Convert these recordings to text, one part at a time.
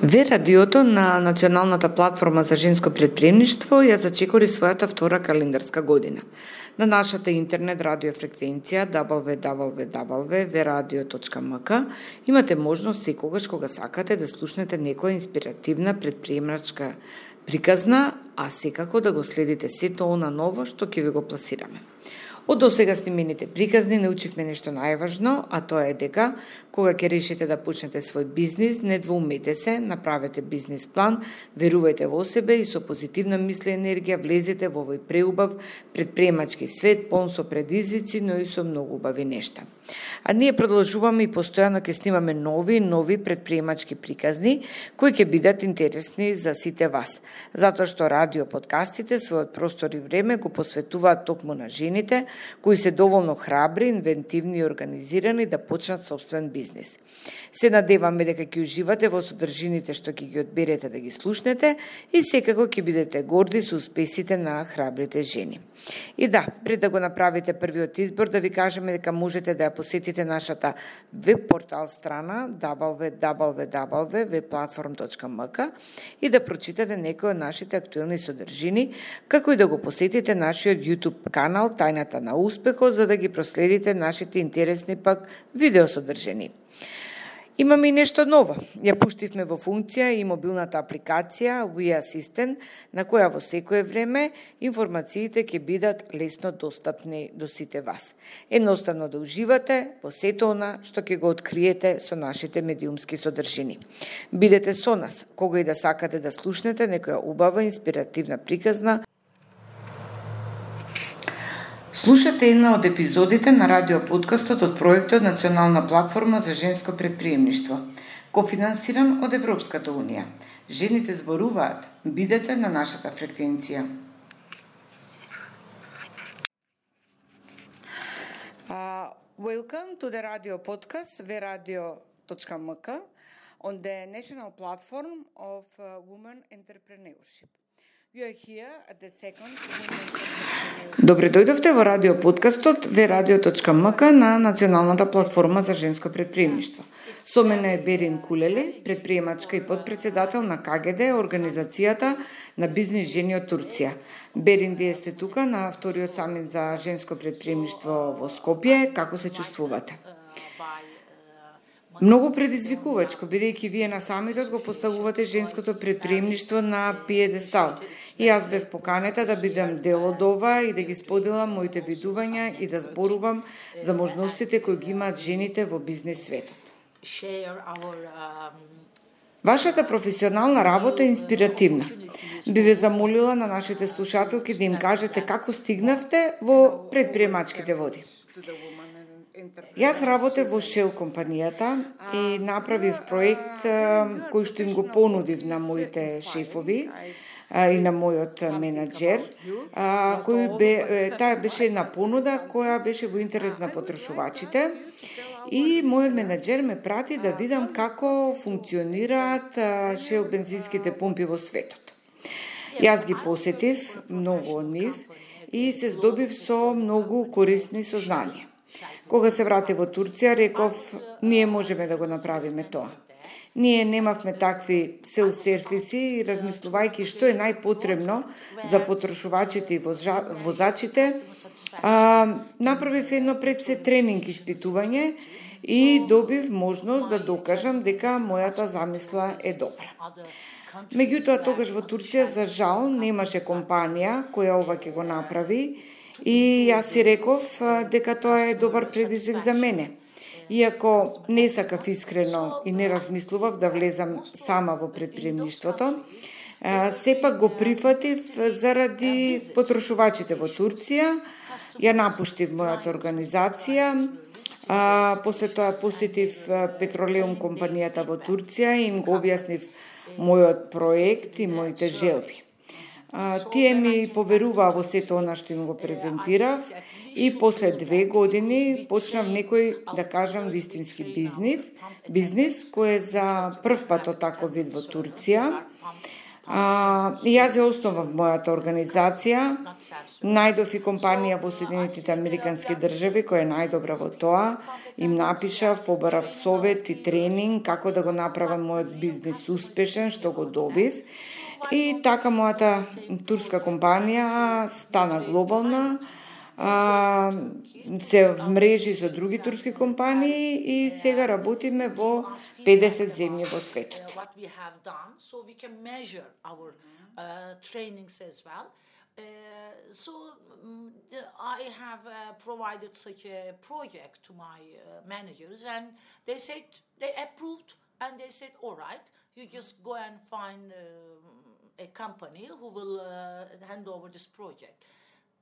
Ве радиото на Националната платформа за женско претприемништво ја зачекори својата втора календарска година. На нашата интернет радиофреквенција www.veradio.mk имате можност секогаш кога сакате да слушнете некоја инспиративна претприемачка приказна, а секако да го следите сето она ново што ќе ви го пласираме. Од досега снимените приказни научивме нешто најважно, а тоа е дека кога ќе решите да почнете свој бизнис, не двоумете се, направете бизнис план, верувајте во себе и со позитивна мисла и енергија влезете во овој преубав претприемачки свет, полн со предизвици, но и со многу убави нешта. А ние продолжуваме и постојано ќе снимаме нови претприемачки приказни кои ќе бидат интересни за сите вас, затоа што радио подкастите својот простор и време го посветуваат токму на жените кои се доволно храбри, инвентивни и организирани да почнат собствен бизнис. Се надеваме дека ќе уживате во содржините што ќе ги одберете да ги слушнете и секако ќе бидете горди со успесите на храбрите жени. И да, пред да го направите првиот избор, да ви кажеме дека можете да ја посетите нашата веб портал страна www.webplatform.mk и да прочитате некои од нашите актуелни содржини, како и да го посетите нашиот YouTube канал Тајната на успехот, за да ги проследите нашите интересни пак видеосодржини. Имаме и нешто ново. Ја пуштивме во функција и мобилната апликација We Assistant, на која во секое време информациите ќе бидат лесно достапни до сите вас. Едноставно да уживате во сето она што ќе го откриете со нашите медиумски содржини. Бидете со нас, кога и да сакате да слушнете некоја убава инспиративна приказна. Слушате една од епизодите на радиоподкастот од проектот Национална платформа за женско претприемништво, кофинансиран од Европската унија. Жените зборуваат, бидете на нашата фреквенција. Welcome to the radio podcast veradio.mk on the national platform of women entrepreneurship. Добре дојдовте во радио подкастот veradio.mk на Националната платформа за женско претприемништво. Со мене е Берин Кулели, претприемачка и подпредседател на КГД, организацијата на бизнис жени од Турција. Берин, вие сте тука на вториот самит за женско претприемништво во Скопје. Како се чувствувате? Многу предизвикувачко, бидејќи вие на самитот го поставувате женското претприемништво на пиедестал. И јас бев поканета да бидам дел од ова и да ги споделам моите видувања и да зборувам за можностите кои ги имаат жените во бизнес светот. Вашата професионална работа е инспиративна. Би ве замолила на нашите слушателки да им кажете како стигнавте во претприемачките води. Јас работев во Shell компанијата и направив проект кој што им го понудив на моите шефови и на мојот менаџер, таа беше една понуда која беше во интерес на потрошувачите и мојот менаџер ме прати да видам како функционираат Shell бензинските помпи во светот. Јас ги посетив многу од нив и се здобив со многу корисни сознанија. Кога се врати во Турција, реков, ние можеме да го направиме тоа. Ние немавме такви селф-сервиси и размислувајќи што е најпотребно за потрошувачите и возачите, направив едно пред се тренинг испитување и добив можност да докажам дека мојата замисла е добра. Меѓутоа, тогаш во Турција, за жал, немаше компанија која ова ќе го направи, и јас си реков дека тоа е добар предизвик за мене. Иако не сакав искрено и не размислував да влезам сама во претприемништвото, сепак го прифатив заради потрошувачите во Турција, ја напуштив мојата организација, после тоа посетив Петролеум компанијата во Турција и им го објаснив мојот проект и моите желби. Тие ми поверуваа во сето она што им го презентирав и после 2 години почнав некој, да кажам, вистински бизнис кој е за прв пат од таков вид во Турција. И јас ја основав мојата организација, најдов и компанија во Соединетите Американски држави која е најдобра во тоа, им напишав, побарав совет и тренинг како да го направам мојот бизнис успешен, што го добив. И така мојата турска компанија стана глобална, се вмрежи со други турски компании и сега работиме во 50 земји во светот. So I have provided such a project to my managers, and they approved, and they said, all right, you just go and find a company who will hand over this project.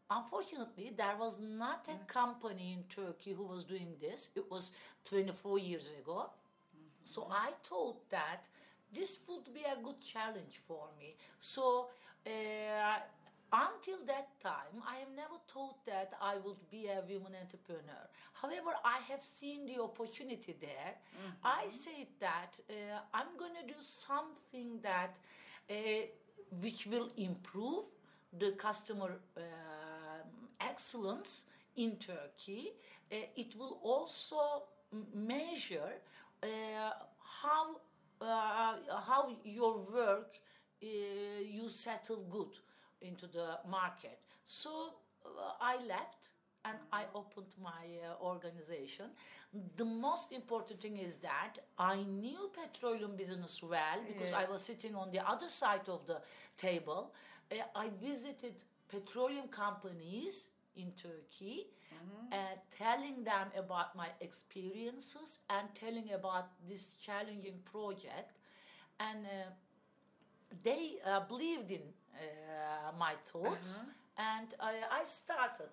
Unfortunately, there was not a company in Turkey who was doing this. It was 24 years ago. So I thought that this would be a good challenge for me. So until that time, I have never thought that I would be a woman entrepreneur. However, I have seen the opportunity there. I said that I'm going to do something that which will improve the customer excellence in Turkey. It will also measure how your work you settle good into the market. So I left and I opened my organization. The most important thing is that I knew petroleum business well because I was sitting on the other side of the table. I visited petroleum companies in Turkey, telling them about my experiences and telling about this challenging project. And they believed in my thoughts, and I started.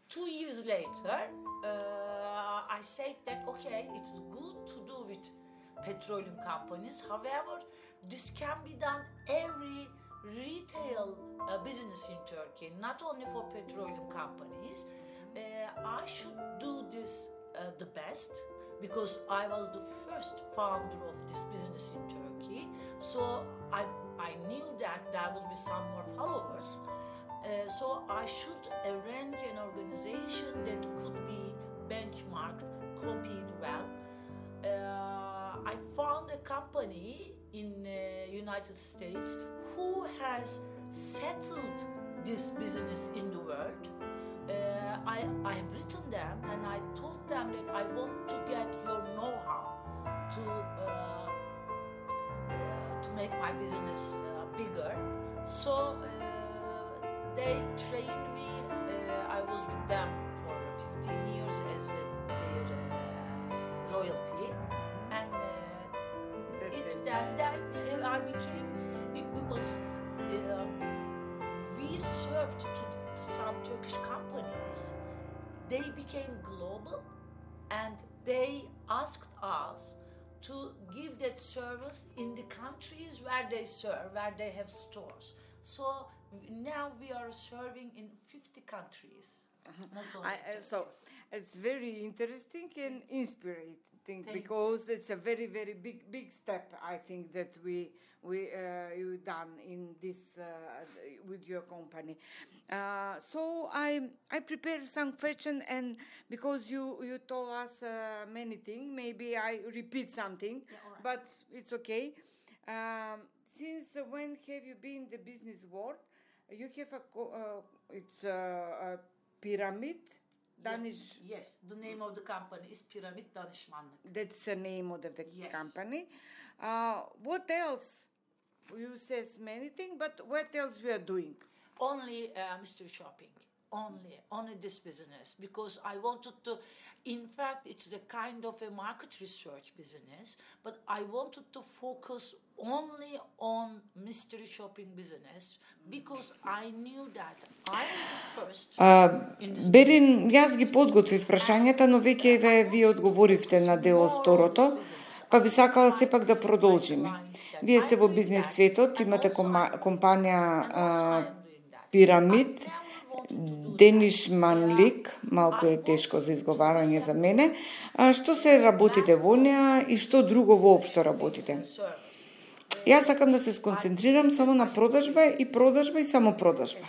2 years later, I said that, okay, it's good to do with petroleum companies. However, this can be done every retail business in Turkey, not only for petroleum companies. I should do this the best because I was the first founder of this business in Turkey. So I knew that there would be some more followers. So I should arrange an organization that could be benchmarked, copied well. I found a company in United States who has settled this business in the world. I have written them and I told them that I want to get your know-how to make my business bigger. So they trained me. I was with them for 15 years as their royalty, and it's that I became. It was we served to some Turkish companies. They became global, and they asked us to give that service in the countries where they serve, where they have stores. So now we are serving in 50 countries. So it's very interesting and inspiring because it's a very, very big step, I think, that you done in this with your company. So I prepared some question, and because you told us many things, maybe I repeat something, but it's okay. Since when have you been in the business world? You have it's a pyramid. Yes, the name of the company is Pyramid Danışmanlık. That's the name of the company. What else? You says many things, but what else we are doing? Only mystery shopping. Only this business, because I wanted to, in fact, it's a kind of a market research business, but I wanted to focus only on mystery shopping business because I knew that I was the first in this Берин, јас ги подготвив прашањата, но веќе ви одговоривте на дел од второто, па би сакала сепак да продолжиме. Вие сте во бизнес светот, имате компанија Pyramid Danışmanlık, малку е тешко за изговарање за мене. Што се работите во неа и што друго воопшто работите? Јас сакам да се сконцентрирам само на продажба и само продажба.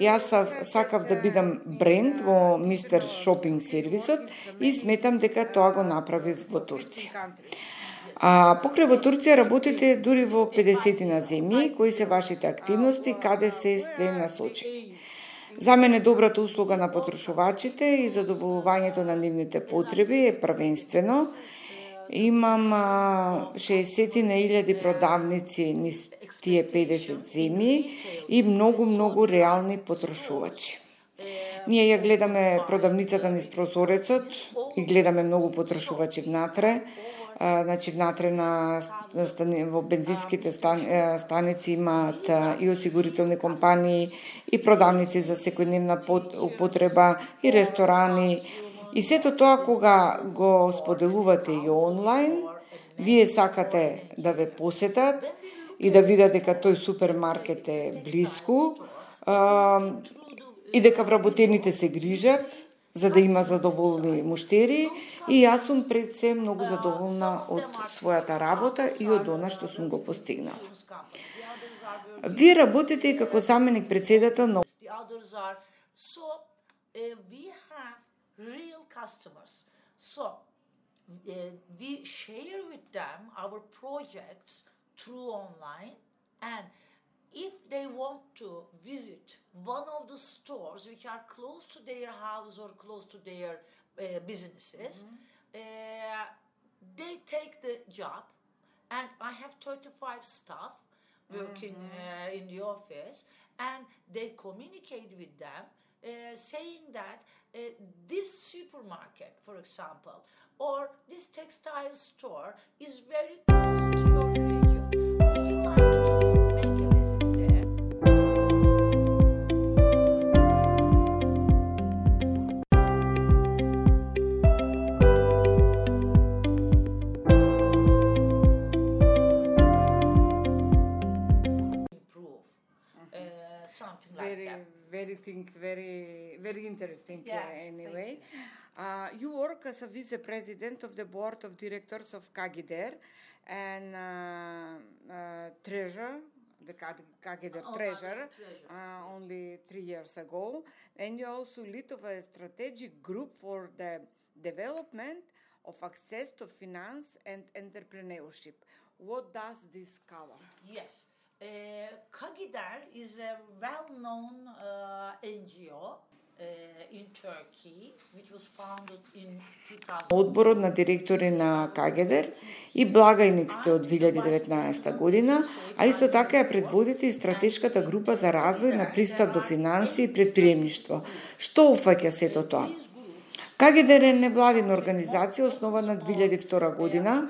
Јас сакав да бидам бренд во Мистер Шопинг сервисот и сметам дека тоа го направив во Турција. Покрај во Турција работите дури во 50 земји, кои се вашите активности, каде се сте насочени. За мене добрата услуга на потрошувачите и задоволувањето на нивните потреби е првенствено. Имам 60.000 продавници низ тие 50 земји и многу реални потрошувачи. Ние ја гледаме продавницата низ прозорецот и гледаме многу потрошувачи внатре. Значи внатре во бензинските станици имаат и осигурителни компании, и продавници за секојдневна употреба, и ресторани. И сето тоа кога го споделувате и онлайн, вие сакате да ве посетат и да видат дека тој супермаркет е блиску и дека вработените се грижат за да има задоволни муштери, и јас сум пред се многу задоволна од својата работа и од она што сум го постигнала. Вие работите и како заменик председател на real customers. So we share with them our projects through online, and if they want to visit one of the stores which are close to their house or close to their businesses, they take the job, and I have 35 staff working in the office, and they communicate with them saying that this supermarket, for example, or this textile store is very close to your region. Would you like to make a visit there? Improve something like that. Very interesting. Anyway, you work as a vice president of the board of directors of Kagider and treasurer, the Kagider treasurer, only 3 years ago, and you also lead of a strategic group for the development of access to finance and entrepreneurship. What does this cover? Yes. Kagider is a well-known NGO in Turkey, which was founded in 2000. Одборот на директори на Кагедер и благајник сте од 2019 година, а исто така ја предводите и стратешката група за развој на пристап до финансии и предприемништво. Што опфаќа сето тоа? Кагедер е невладина организација основана 2002 година.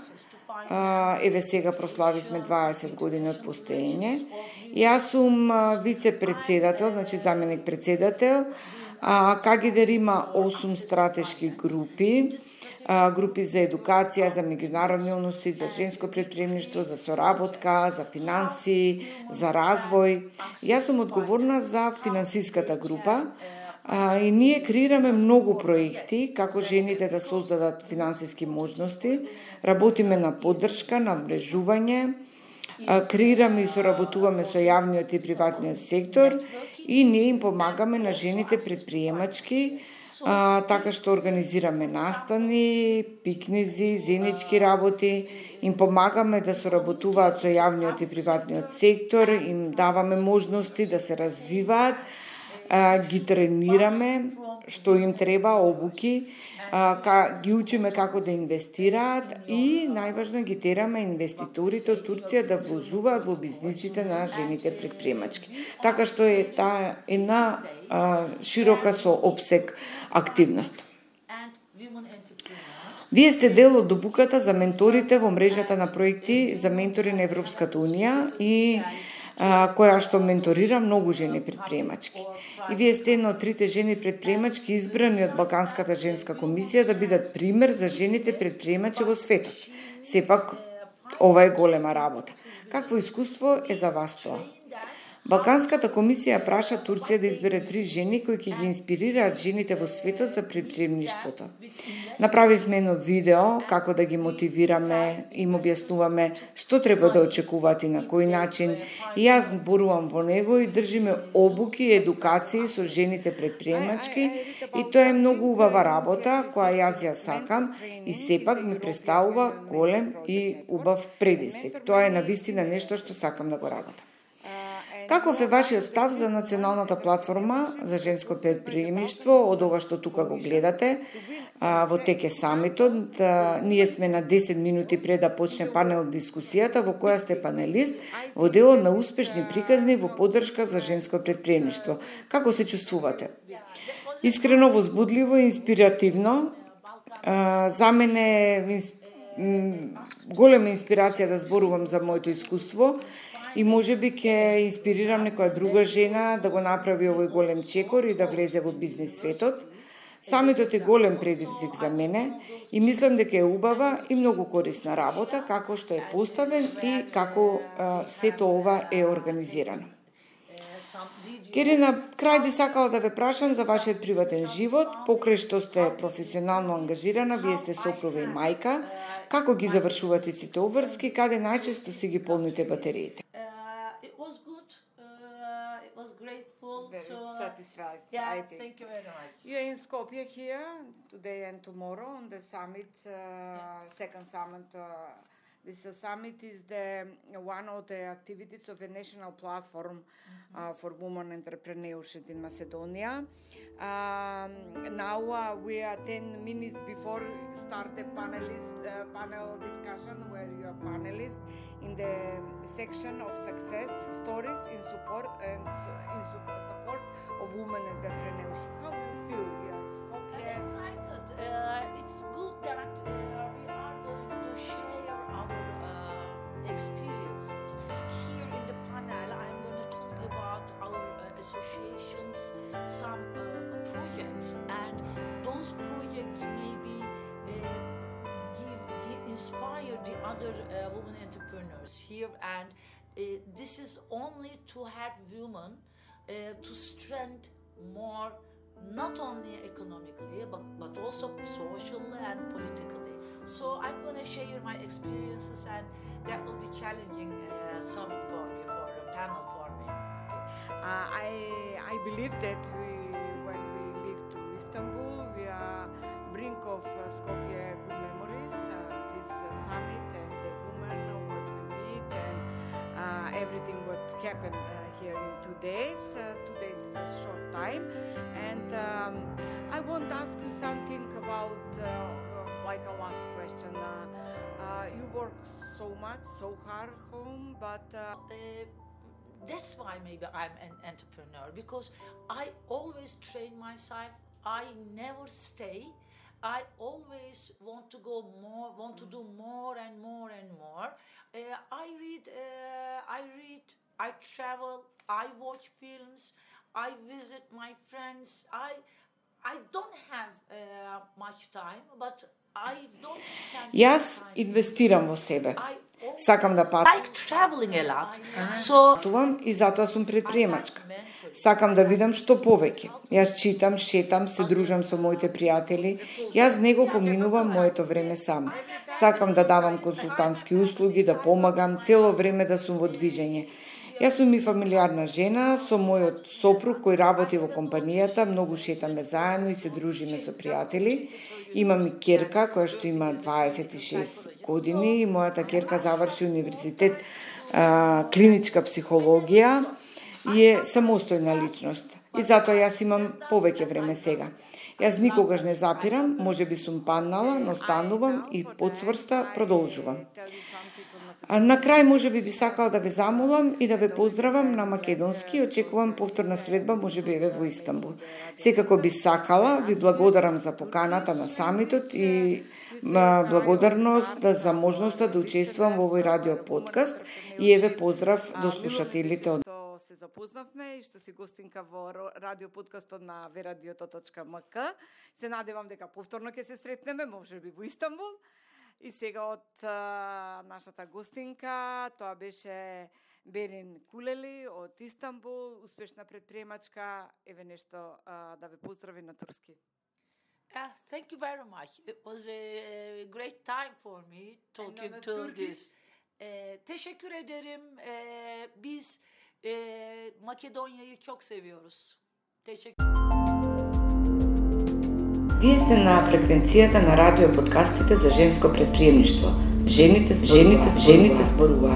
Еве сега прославивме 20 години од постоење. Јас сум вице-председател, значи заменик председател. Кагедер има 8 стратешки групи, групи за едукација, за меѓународни односи, за женско предприемништво, за соработка, за финанси, за развој. Јас сум одговорна за финансиската група. И ние креираме многу проекти како жените да создадат финансиски можности, работиме на поддршка, на мрежување, креираме и соработуваме со јавниот и приватниот сектор и ние им помагаме на жените предприемачки, така што организираме настани, пикнизи, заеднички работи, им помагаме да соработуваат со јавниот и приватниот сектор, им даваме можности да се развиваат, ги тренираме што им треба, обуки, ги учиме како да инвестираат и најважно ги тераме инвеститорите од Турција да вложуваат во бизнисите на жените предприемачки. Така што е таа една широка со опсег активност. Вие сте дел од добуката за менторите во мрежата на проекти за ментори на Европската Унија и која што менторира многу жени предприемачки. И вие сте една од 3 жени предприемачки избрани од Балканската женска комисија да бидат пример за жените предприемачи во светот. Сепак, ова е голема работа. Какво искуство е за вас тоа? Балканската комисија праша Турција да избере 3 жени кои ќе ги инспирираат жените во светот за предприемништвото. Направивме едно видео како да ги мотивираме, им објаснуваме што треба да очекуваат и на кој начин. И јас борувам во него и држиме обуки и едукации со жените предприемачки и тоа е многу убава работа која јас ја сакам и сепак ми представува голем и убав предизвик. Тоа е навистина нешто што сакам да го работам. Каков е вашиот став за националната платформа за женско предприемништво од ова што тука го гледате во теке самитот? Ние сме на 10 минути пред да почне панел дискусијата во која сте панелист во делот на успешни приказни во поддршка за женско предприемништво. Како се чувствувате? Искрено возбудливо и инспиративно. За мене голема инспирација да зборувам за моето искуство и можеби ќе инспирирам некоја друга жена да го направи овој голем чекор и да влезе во бизнис светот. Самитот е голем предизвик за мене и мислам дека е убава и многу корисна работа како што е поставен и како сето ова е организирано. Кери, на крај би сакала да ве прашам за вашиот приватен живот, покрај што сте професионално ангажирана, вие сте сопруга и мајка, како ги завршувате сите обврски, каде најчесто си ги полните батериите? Satisfied. Yeah, thank you very much. You're in Skopje here today and tomorrow on the summit, second summit. This summit is one of the activities of a national platform for women entrepreneurship in Macedonia. Now we are 10 minutes before start the panel discussion where you are panelists in the section of success stories in support of women entrepreneurship. How do you feel here? I'm excited. It's good that we are going to share our experiences. Here in the panel, I'm going to talk about our associations, some projects, and those projects maybe inspire the other women entrepreneurs here. And this is only to help women to strengthen more, not only economically, but also socially and politically. So I'm going to share my experiences, and that will be challenging summit for me, for a panel for me. I believe that when we leave to Istanbul, we are brink of Skopje good memories. This summit and the women, what we meet, and everything what happened here in 2 days. 2 days is a short time, and I want to ask you something about like a last question. You work so much, so hard home, but that's why maybe I'm an entrepreneur, because I always train myself. I never stay. I always want to go more, want to do more and more and more. I read, I travel, I watch films, I visit my friends. I don't have much time, but I don't spend Јас инвестирам во себе. Сакам да патувам. Like traveling a lot. So И затоа сум предприемачка. Сакам да видам што повеќе. Јас читам, шетам, се дружам со моите пријатели. Јас не го поминувам моето време сама. Сакам да давам консултантски услуги, да помагам, цело време да сум во движење. Јас сум и фамилиарна жена со мојот сопруг кој работи во компанијата, многу шетаме заедно и се дружиме со пријатели. Имам и ќерка која што има 26 години и мојата ќерка заврши универзитет клиничка психологија и е самостојна личност. И затоа јас имам повеќе време сега. Јас никогаш не запирам, можеби сум паднала, но станувам и подцврста продолжувам. На крај можеби би сакала да ве замолам и да ве поздравам на македонски. Очекувам повторна средба, можеби еве во Истанбул. Секако би сакала, ви благодарам за поканата на самитот и благодарност за можноста да учествувам во овој радио подкаст и еве поздрав до слушателите од се запознавме и што си гостинка во радио подкастот на veradioto.mk. Се надевам дека повторно ќе се сретнеме, можеби во Истанбул. И сега од нашата гостинка, тоа беше Берин Кулели од Истанбул, успешна предприемачка. Еве нешто да ве поздрави на турски. Thank you very much. It was a great time for me talking to this. Teşekkür ederim. Biz Makedonya'yı çok seviyoruz. Teşekkür. Вие сте на фреквенцијата на радио подкастите за женско предприемништво. Жените зборуваат.